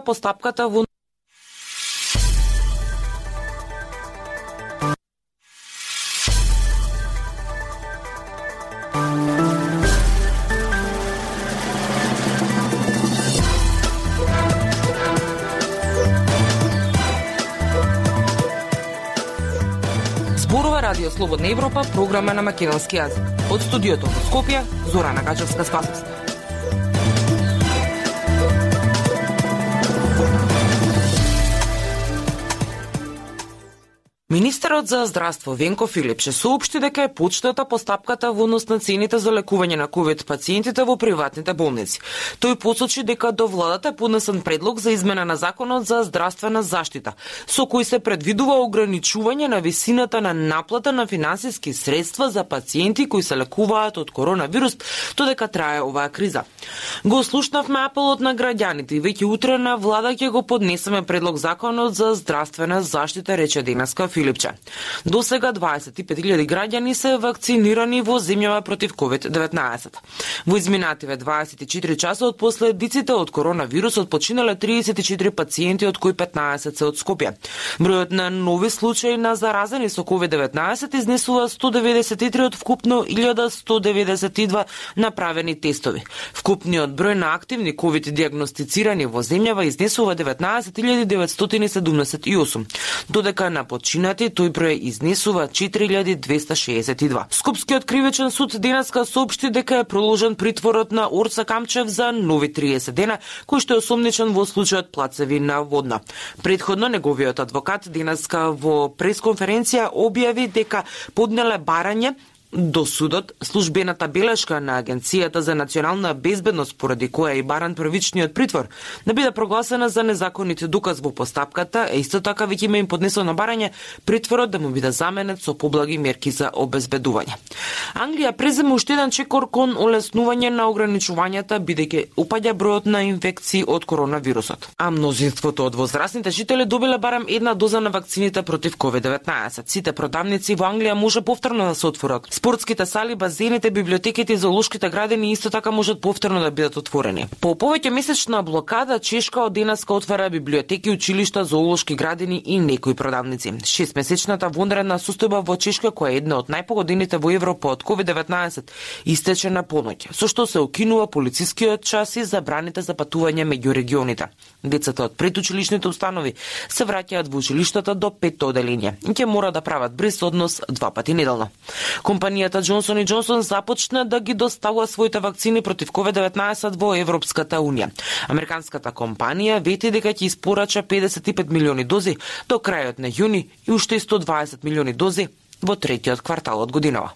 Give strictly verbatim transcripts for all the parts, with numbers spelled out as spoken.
постапката во Радио Слободна Европа, програма на македонски јазик. Од студиото во Скопје, Зорана Гачевска-Спасовска. Министерот за здравство Венко Филипче соопшти дека е почната постапката во однос на цените за лекување на ковид пациентите во приватните болници. Тој посочи дека до владата е поднесен предлог за измена на Законот за здравствена заштита, со кој се предвидува ограничување на висината на наплата на финансиски средства за пациенти кои се лекуваат од коронавирус додека трае оваа криза. Го слушнавме апелот на граѓаните и веќе утре на влада ќе го поднесеме предлог Законот за здравствена заштита, рече денеска Филипче. До сега дваесет и пет илјади граѓани се вакцинирани во земјава против ковид деветнаесет. Во изминативе дваесет и четири часа од последиците од коронавирусот починале тридесет и четири пациенти, од кои петнаесет се од Скопје. Бројот на нови случаи на заразени со ковид деветнаесет изнесува сто деветдесет и три од вкупно илјада сто деветдесет и два направени тестови. Вкупниот број на активни ковид диагностицирани во земјава изнесува деветнаесет илјади деветстотини седумдесет и осум, додека на починати тој број изнесува четири илјади двесте шеесет и два. Скопскиот кривичен суд денеска соопшти дека е проложен притворот на Орца Камчев за нови триесет дена, кој што е осомничен во случајот Плацевина Водна. Предходно неговиот адвокат денеска во пресконференција објави дека поднеле барање до судот службената белешка на Агенцијата за национална безбедност, поради која и баран првичниот притвор, да биде прогласена за незаконит доказ во постапката, е исто така веќе има им поднесено барање притворот да му биде заменет со поблаги мерки за обезбедување. Англија презема уште еден чекор кон олеснување на ограничувањата, бидејќи упаѓа бројот на инфекции од коронавирусот. А мнозинството од возрастните жители добиле барем една доза на вакцините против ковид деветнаесет. Сите продавници во Англија може повторно да се отворат. Спортските сали, базените, библиотеките и зоолошките градини исто така можат повторно да бидат отворени. По повеќе месечна блокада, Чешка од денеска отвара библиотеки, училишта, зоолошки градини и некои продавници. Шестмесечната вонредна состојба во Чешка, која е една од најпогодените во Европа од ковид деветнаесет, истече на поноќ, со што се укинува полицискиот час и забраните за патување меѓу регионите. Децата од предучилишните установи се враќаат во училиштата до петто оделение и ќе мора да прават бриз однос два пати неделно. Компанијата Джонсон и Джонсон започна да ги доставува своите вакцини против ковид деветнаесет во Европската унија. Американската компанија вети дека ќе испорача педесет и пет милиони дози до крајот на јуни и уште сто дваесет милиони дози во третиот квартал од годинава.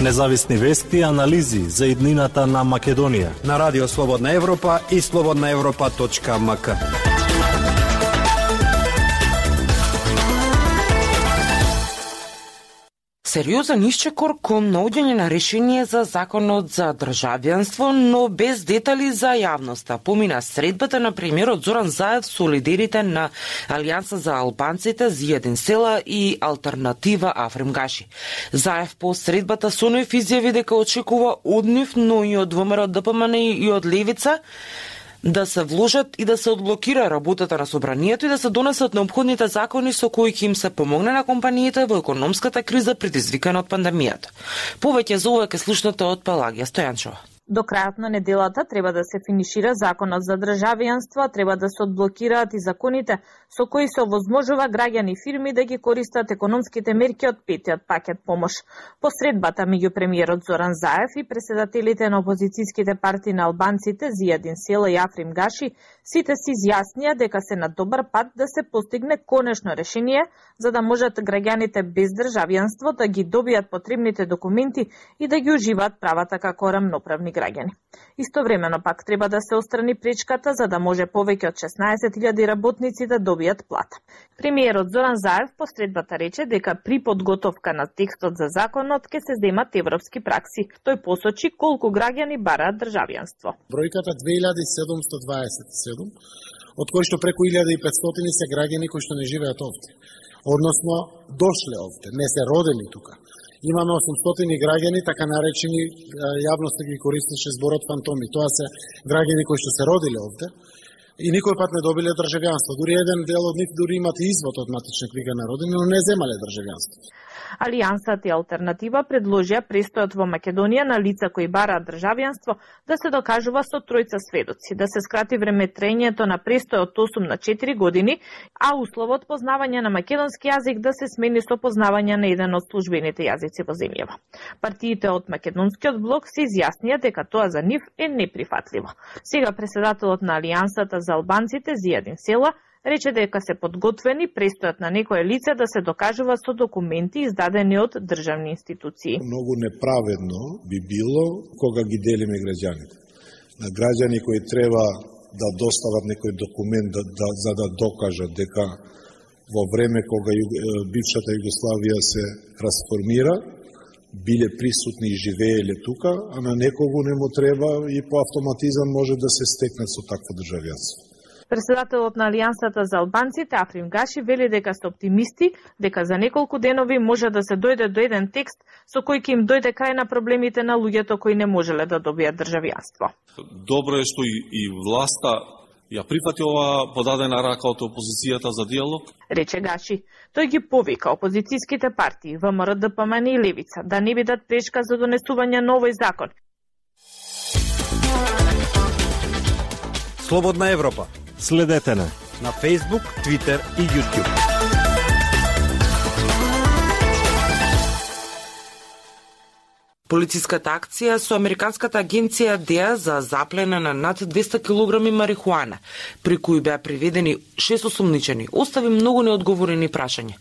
Независни вести и анализи за иднината на Македонија на Радио Слободна Европа и слободна европа точка ем ка. Сериозен исчекор кон наоѓање на решение за Законот за државјанство, но без детали за јавноста. Помина средбата на премиерот Зоран Заев со лидерите на Алијанса за албанците, Зиједин Села и Алтернатива Африм Гаши. Заев по средбата со нив изјави дека очекува од нив, но и од ВМРО, ДПМН и од Левица, да се вложат и да се одблокира работата на собранието и да се донесат неопходните закони со кои ќе им се помогне на компаниите во економската криза предизвикана од пандемијата. Повеќе за ова ќе слушнете од Пелагија Стојанчова. До крајот на неделата треба да се финишира Законот за државјанство, треба да се одблокираат и законите со кои се овозможува граѓани и фирми да ги користат економските мерки од петиот пакет помош. Посредбата меѓу премиерот Зоран Заев и председателите на опозицијските партии на албанците Зијадин Села и Африм Гаши сите се изјаснија дека се на добар пат да се постигне конечно решение за да можат граѓаните без државјанство да ги добијат потребните документи и да ги уживаат правата како рамноправни граѓани. Истовремено пак треба да се острани пречката за да може повеќе од шеснаесет илјади работници да добијат плата. Премиерот Зоран Заев посредбата рече дека при подготовка на текстот за законот ќе се земат европски пракси. Тој посочи колку граѓани бараат државјанство. Бројката две илјади седумсто дваесет и седум, од кои што преку илјада и петстотини се граѓани кои што не живеат овде, односно дошле овде, не се родени тука. имаме осумстотини граѓани, така наречени, јавноста ги користеше зборот фантоми. Тоа се граѓани кои што се родиле овде и никој пат не добиле државјанство. Дури еден дел од нив дури имат извод од матична книга на родина, но не земале државјанство. Алијансата и Алтернатива предложија престојот во Македонија на лица кои бараат државјанство да се докажува со тројца сведоци, да се скрати време траењето на престојот од осум на четири години, а условот познавање на македонски јазик да се смени со познавање на еден од службените јазици во земјава. Партиите од Македонскиот блок се изјаснија дека тоа за нив е неприфатливо. Сега преседателот на Алијансата за албанците Зијадин Села рече дека се подготвени престојот на некое лице да се докажува со документи издадени од државни институции. Многу неправедно би било кога ги делиме граѓаните. На граѓани кои треба да достават некој документ да, да, за да докажат дека во време кога ю, бившата Југославија се расформира, биле присутни и живееле тука, а на некого не му треба и по автоматизам може да се стекне со такво државјанство. Преседателот на Алијансата за албанците Африм Гаши вели дека се оптимисти, дека за неколку денови може да се дојде до еден текст со кој ќе им дојде крај на проблемите на луѓето кои не можеле да добијат државјанство. Добро е што и, и власта ја прифати ова подадена рака од опозицијата за диалог. Рече Гаши. Тој ги повика опозицијските партии ВМРО, ДПМН и Левица да не бидат пречка за донесување на овој закон. Слободна Европа. Следете на на Facebook, Twitter и YouTube. Полициската акција со американската агенција ДЕА за заплена на над двесте килограми марихуана, при кои беа приведени шест осумничени, остави многу неодговорени прашања.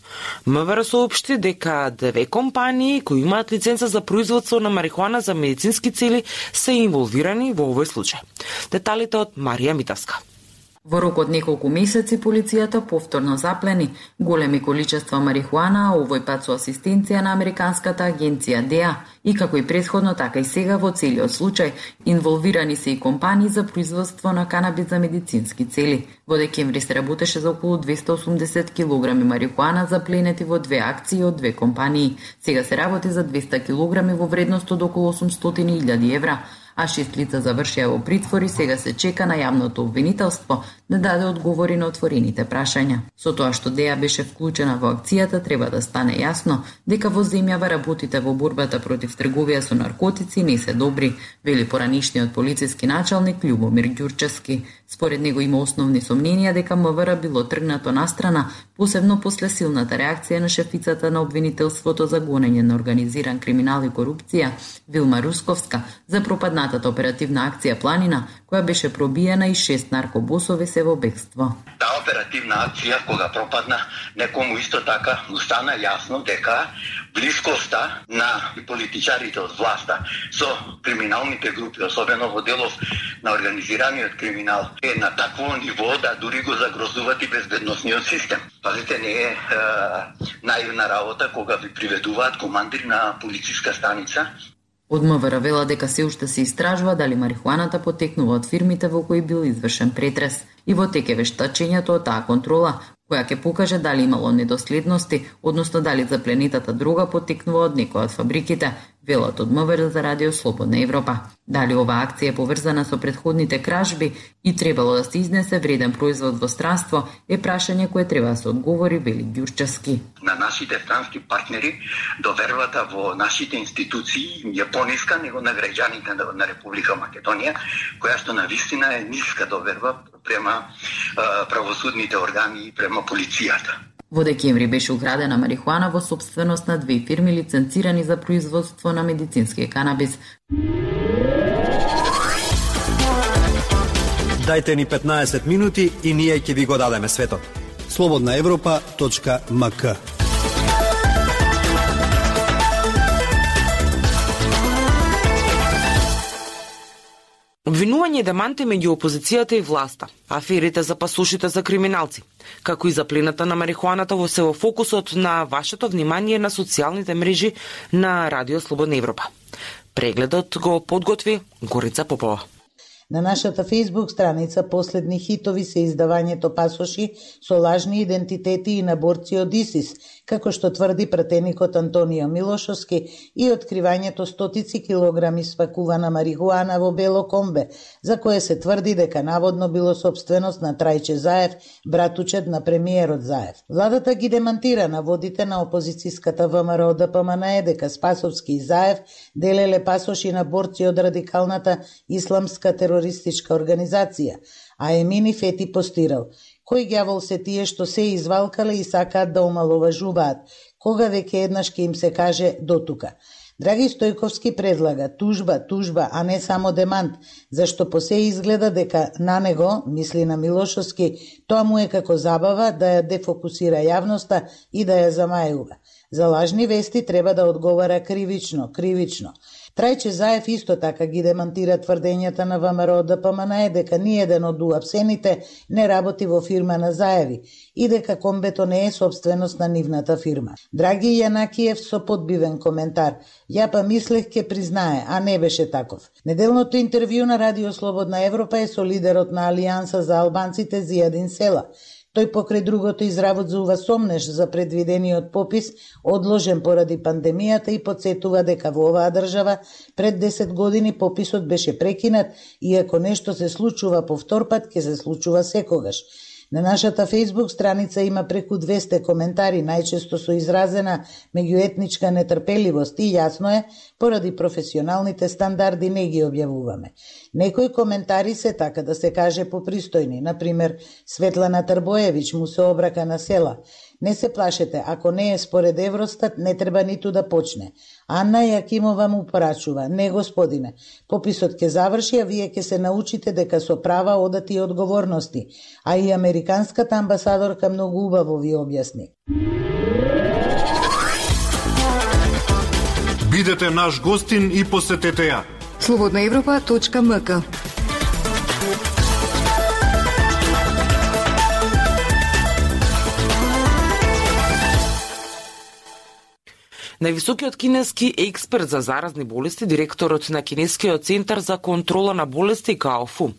МВР соопшти дека две компании кои имаат лиценца за производство на марихуана за медицински цели се инволвирани во овој случај. Деталите од Марија Митавска. Во рок од неколку месеци полицијата повторно заплени големи количества марихуана, а овој пат со асистенција на американската агенција ДЕА, и како и претходно, така и сега во целиот случај инволвирани се и компании за производство на канабис за медицински цели. Во декември се работеше за околу двесте осумдесет килограми марихуана запленети во две акции од две компании. Сега се работи за двесте килограми во вредност од околу осумстотини илјади евра, а шест лица завршија во притвор и сега се чека на јавното обвинителство да даде одговори на отворените прашања. Со тоа што ДЕА беше вклучена во акцијата, треба да стане јасно дека во земјава работите во борбата против трговија со наркотици не се добри, вели поранишниот полициски началник Љубомир Ѓурчевски. Според него има основни сомненија дека МВР било тргнато настрана, посебно после силната реакција на шефицата на обвинителството за гонење на организиран криминал и корупција, Вилма Русковска, за пропаднатата оперативна акција Планина, која беше пробиена и шест наркобосови се во бегство. Таа оперативна акција, кога пропадна, некому исто така му стана јасно дека блискоста на политичарите од власта со криминалните групи, особено во делов на организираниот криминал, е на такво ниво да дури го загрозуват и безбедносниот систем. Пазите, не е, е наивна работа кога ви приведуваат командир на полициска станица. Од МВР вела дека се уште се истражува дали марихуаната потекнува од фирмите во кои бил извршен претрес и во тек е вештачењето од таа контрола, која ќе покаже дали имало недоследности, односно дали запленетата дрога потекнува од некоја од фабриките, велат од МВР за Радио Слободна Европа. Дали оваа акција е поврзана со претходните кражби и требало да се изнесе вреден производ во странство е прашање кое треба да се одговори, вели Ѓурчевски. На нашите странски партнери довербата во нашите институции е пониска него на граѓаните на Република Македонија, која што навистина е ниска доверба према правосудните органи и према полицијата. Во декември беше украдена марихуана во сопственост на две фирми лиценцирани за производство на медицински канабис. Дајте ни петнаесет минути и ние ќе ви го дадеме светот. слободна европа точка ем ка. Обвинување и деманти меѓу опозицијата и власта, аферите за пасушите за криминалци, како и заплената на марихуаната во се во фокусот на вашето внимание на социјалните мрежи на Радио Слободна Европа. Прегледот го подготви Горица Попова. На нашата Facebook страница последни хитови се издавањето пасоши со лажни идентитети и наборци од ИСИС, како што тврди пратеникот Антонио Милошовски, и откривањето стотици килограми спакувана марихуана во бело комбе, за кое се тврди дека наводно било собственост на Трајче Заев, братучет на премиерот Заев. Владата ги демантира наводите на опозицијската ВМРО Д П М Н Е дека Спасовски и Заев делеле пасоши на борци од радикалната исламска терористичка организација, а Емини Фети постирал: кој ѓавол се тие што се извалкале и сакаат да омаловажуваат, кога веќе еднаш ќе им се каже дотука. Драги Стојковски предлага тужба, тужба, а не само демант, зашто по се изгледа дека на него, мисли на Милошовски, тоа му е како забава да ја дефокусира јавноста и да ја замајува. За лажни вести треба да одговара кривично, кривично. Трајче Заев исто така ги демантира тврдењата на ВМРО Д П М Н Е дека ниеден од уапсените не работи во фирма на Заеви и дека комбето не е собственост на нивната фирма. Драги Јанакиев со подбивен коментар: ја па мислех ке признае, а не беше таков. Неделното интервју на Радио Слободна Европа е со лидерот на Алијанса за албанците Зијадин Села. Тој покрај другото изработзува сомнеш за предвидениот попис, одложен поради пандемијата, и подсетува дека во оваа држава пред десет години пописот беше прекинат и ако нешто се случува повтор пат, ќе се случува секогаш. На нашата Facebook страница има преку двесте коментари, најчесто со изразена меѓуетничка нетрпеливост, и јасно е, поради професионалните стандарди не ги објавуваме. Некои коментари се, така да се каже, попристојни. Например, Светлана Трбоевич му се обрака на Села: не се плашете, ако не е според Евростат, не треба ниту да почне. Анна Јакимова му порачува: не, господине, пописот ќе заврши, а вие ќе се научите дека со права одат и одговорности. А и американската амбасадорка многу убаво ви објасни. Бидете наш гостин и посетете ја слободна европа точка м к. Највисокиот кинески експерт за заразни болести, директорот на Кинескиот центар за контрола на болести Гао Фу,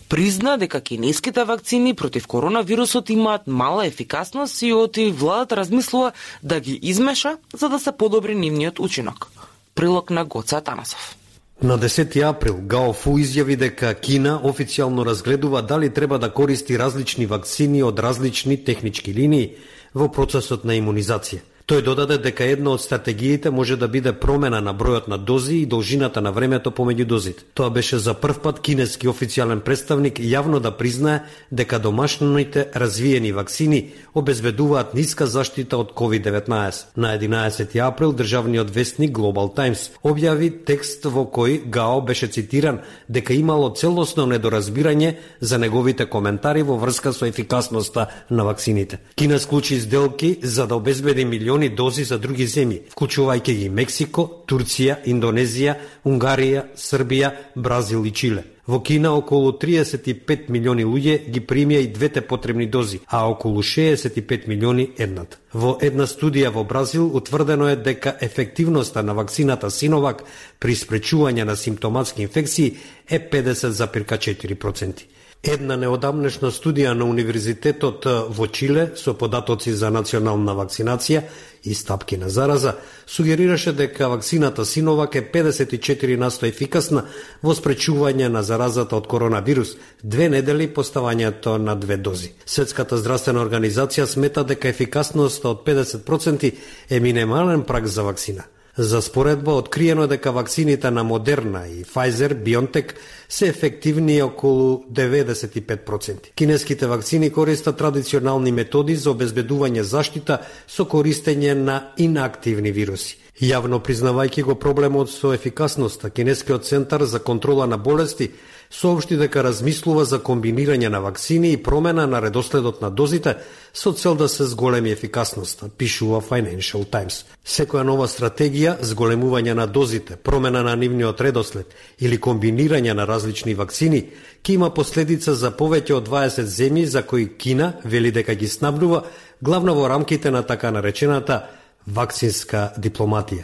призна дека кинеските вакцини против коронавирусот имаат мала ефикасност и оти владата размислува да ги измеша за да се подобри нивниот учинок. Прилог на Гоце Атанасов. На десети април Гао Фу изјави дека Кина официјално разгледува дали треба да користи различни вакцини од различни технички линии во процесот на имунизација. Тој додаде дека една од стратегиите може да биде промена на бројот на дози и должината на времето помеѓу дозите. Тоа беше за прв пат кинески официјален представник јавно да признае дека домашните развиени вакцини обезбедуваат ниска заштита од ковид деветнаесет. На единаесети април државниот вестник Global Times објави текст во кој Гао беше цитиран дека имало целосно недоразбирање за неговите коментари во врска со ефикасноста на вакцините. Кина склучи сделки за да обезбеди милиони дози за други земји, вклучувајќи ги Мексико, Турција, Индонезија, Унгарија, Србија, Бразил и Чиле. Во Кина околу триесет и пет милиони луѓе ги примија и двете потребни дози, а околу шеесет и пет милиони едната. Во една студија во Бразил утврдено е дека ефективноста на вакцината Синовак при спречување на симптоматски инфекции е педесет зарез четири проценти. Една неодамнешна студија на Универзитетот во Чиле со податоци за национална вакцинација и стапки на зараза сугерираше дека вакцината Синовак е педесет и четири на сто ефикасна во спречување на заразата од коронавирус две недели по ставањето на две дози. Светската здравствена организација смета дека ефикасноста од педесет проценти е минимален праг за вакцина. За споредба, откриено е дека вакцините на Модерна и Pfizer BioNTech се ефективни околу деветдесет и пет проценти. Кинеските вакцини користат традиционални методи за обезбедување заштита со користење на инактивни вируси. Јавно признавајќи го проблемот со ефикасноста, Кинескиот центар за контрола на болести соопшти дека размислува за комбинирање на вакцини и промена на редоследот на дозите со цел да се зголеми ефикасноста, пишува Financial Times. Секоја нова стратегија, зголемување на дозите, промена на нивниот редослед или комбинирање на различни вакцини ќе има последица за повеќе од дваесет земји за кои Кина вели дека ги снабдува главно во рамките на така наречената вакцинска дипломатија.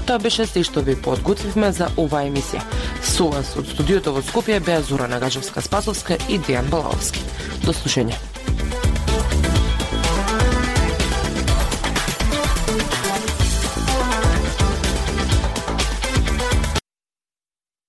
Тоа беше се што ви подготвивме за оваа емисија. Со вас од студиото во Скопје беа Зора Нагачевска-Спасовска и Дејан Балаовски. До слушање.